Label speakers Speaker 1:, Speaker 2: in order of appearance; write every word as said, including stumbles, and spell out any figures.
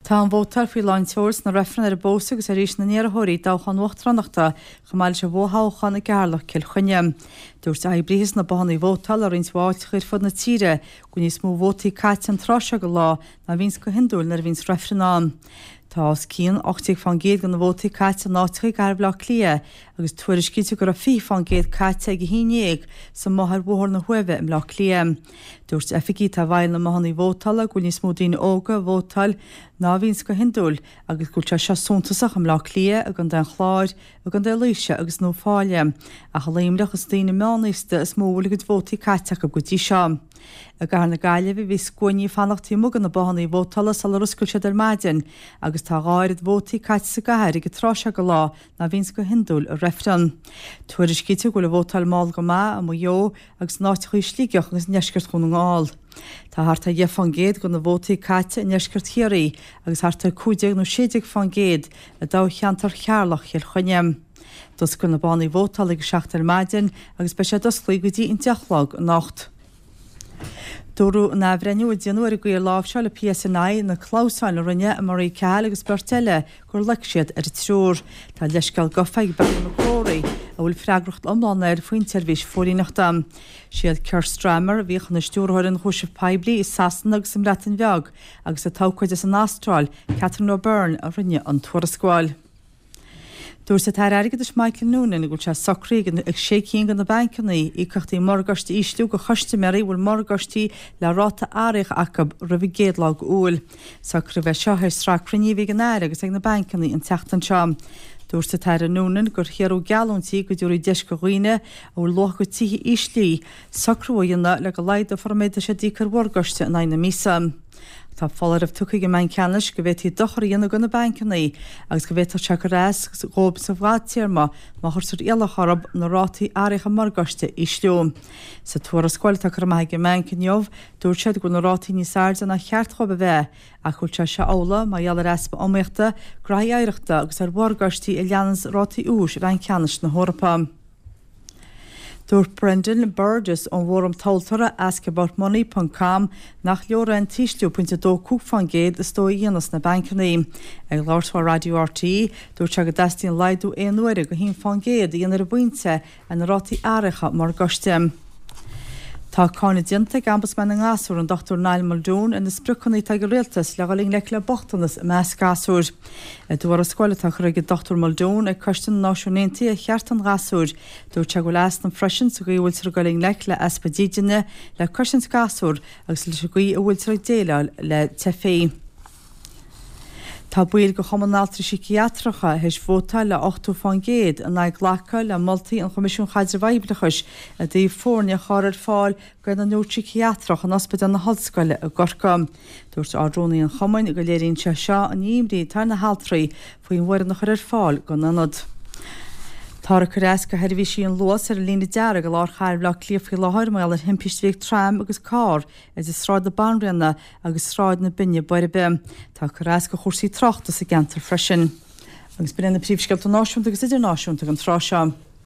Speaker 1: Tá an vótáil faoi lán tseoil sna reifrinn ar an bpósadh agus ar aois na n-iarrthóirí i dtoghchán uachtaránachta chomh maith leis an bhfothoghchán i gCeatharlach Cill Chainnigh. Dúirt oibrithe sna bothanna vótála i roinnt mhaith áiteacha ar fud na tíre go bhfuil níos mó vótaí caite an tráth seo de lá ná a bhíonns go hiondúil nuair a bhíonns reifreann ann. Tá os cionn ocht déag fán gcéad de na vótaí caite in áiteacha i gcathair Bhaile Átha Cliath agus tuairiscítear go raibh fiche fán gcéad caite ag a haon déag sa mboth ar Bhóthar na hUaimhe i mBleá Cliath. Dúirt oifigigh atá i bhfeighil na mbothanna vótála go bhfuil níos mó daoine óga ag vótáil ná a bhíonns go hiondúil agus go bhfuil sé seo suntasach i mBleá Cliath, i gContae an Chláir, i gContae Laoise agus i nUíbh Fhailí. Ach i Luimneach is daoine meánaosta is mó a bhfuil a gcuid vótaí caite acu go dtí seo. I gcathair na Gaillimhe bhí scuainí ag fanacht taobh amuigh de na bothanna vótála sular oscail siad ar maidin agus tá dhá oiread vótaí caite sa gcathair ag an tráth seo de lá ná a bhíonns go hiondúil i reifreann. Tuairiscítear go bhfuil an vótáil mall go maith i Maigh Eo agus in áiteacha i Sligeach agus i ndeisceart Dhún na nGall. Tá thart ar dheich fán gcéad de na vótaí caite i ndeisceart Chiarraí agus thart ar cúig déag nó sé déag fán gcéad i dtoghcheantar Cheatharlach Chill Chainnigh. D'oscail na bothanna vótála ag a seacht ar maidin agus beidh siad oscailte go dtí an deich a chlog anocht. Dúradh in athbhreithniú a déanadh ar an gcaoi ar láimhseáil an PSNI na clamhsáin a rinne Marie Cahill agus beirt eile gur loic siad ar an triúr. Tá leithscéal gafa ag Barry McCrory, a bhfuil freagracht iomlán air faoin tseirbhís phóilíneachta. Siad Keir Starmer, a bhíodh ina stiúrthóir ionchúiseamh poiblí i Sasana agus sa mBreatain Bheag agus an t-abhcóide as an Astráil, Catherine O'Byrne, a rinne an tuarascáil. Dúirt an tAire Airgeadais Michael Noonan go bhfuil sé socraithe ag sé cinn de na bancanna íocaíochtaí morgáiste a ísliú do chustaiméirí a bhfuil morgáistí le ráta athraithe acu roimh an gcéad lá d'Iúil. Socraíodh é seo théis sraith cruinnithe a bhí ag an Aire agus ag na bancanna an tseachtain seo. Dúirt an tAire Noonan gur shaothraíodh geallúintí go dtabharfaí deis do dhaoine a bhfuil luach a gcuid tithe íslithe socrú a dhéanamh le go laghdófar an méid atá siad d'íoc ar mhorgáiste in aghaidh na míosa. Tá foláireamh tugtha ag an mBanc Ceannais go bhféadfaí dochar a dhéanamh do na bancanna agus go bhféadfadh sé cur as dhóibh sa bhfadtéarma má chuirtear iallach orthu na rátaí athraithe morgáiste a ísliú. Sa tuarascáil atá curtha amach ag an mbanc inniu, dúirt siad go bhfuil na rátaí níos airde ná cheart dhóibh a bheith ach go bhfuil sé seo amhlaidh mar gheall ar easpa iomaíochta, graithí oidhreachta agus ar mhorgáistí a leananns rátaí úis Bhanc Ceannais na hEorpa. Dúirt Brendan Burgess ón bhfóram tomhaltóra askaboutmoney ponc com nach leor é an t-ísliú pointe a dó cúig fán gcéad is dóigh a dhéanfas na bancanna. Ag labhairt dó ar Raidió RTÉ, dúirt sé go dteastaíonn laghdú aon uaire go haon fán gcéad a dhéanamh ar an bpointe ar na rátaí athraithe morgáiste. Tá cáineadh déanta ag Ombudsman na nGasúr, an Dochtúir Niall Muldoon, ar na spriocanna atá ag an Rialtas le dhul i ngleic le bochtanas i measc gasúir. I dtuarascáil atá curtha ag an Dochtúir Muldoon ag Coiste na Náisiún Aontaithe ar Chearta an Ghasúir, dúirt sé go bhfuil easnamh freisin sa gcaoi a bhfuiltear ag dul i ngleic le easpa dídine, le cosaint gasúr agus leis an gcaoi a bhfuiltear ag déileáil le teifigh. Tá baill de Chumann na nAltraí Síciatracha théis vótáil le ochtó fán gcéad in aghaidh glacadh le moltaí an Choimisiúin Chaidrimh Oibreachais i dtaobh foirne a chur ar fáil d'aonad neoirsíciatrach in Ospidéal na hOllscoile i gCorcaigh. Dúirt Ard-Rúnaí an Chumainn go léiríonn sé seo an imní atá ar na haltraí faoin bhfoireann a chur ar fáil don ionad. Táthar ag cur as do sheirbhísí an Luas ar an líne dearg i lár chathair Bhaile Átha Cliath faoi láthair mar gheall ar thimpiste a bhí ag tram agus carr idir Sráid na Banríona agus Sráid na Binne Boirbe. Tá cur as do chúrsaí tráchta sa gceantar freisin. Agus b'in iad na príomhscéalta náisiúnta agus idirnáisiúnta don tráth seo.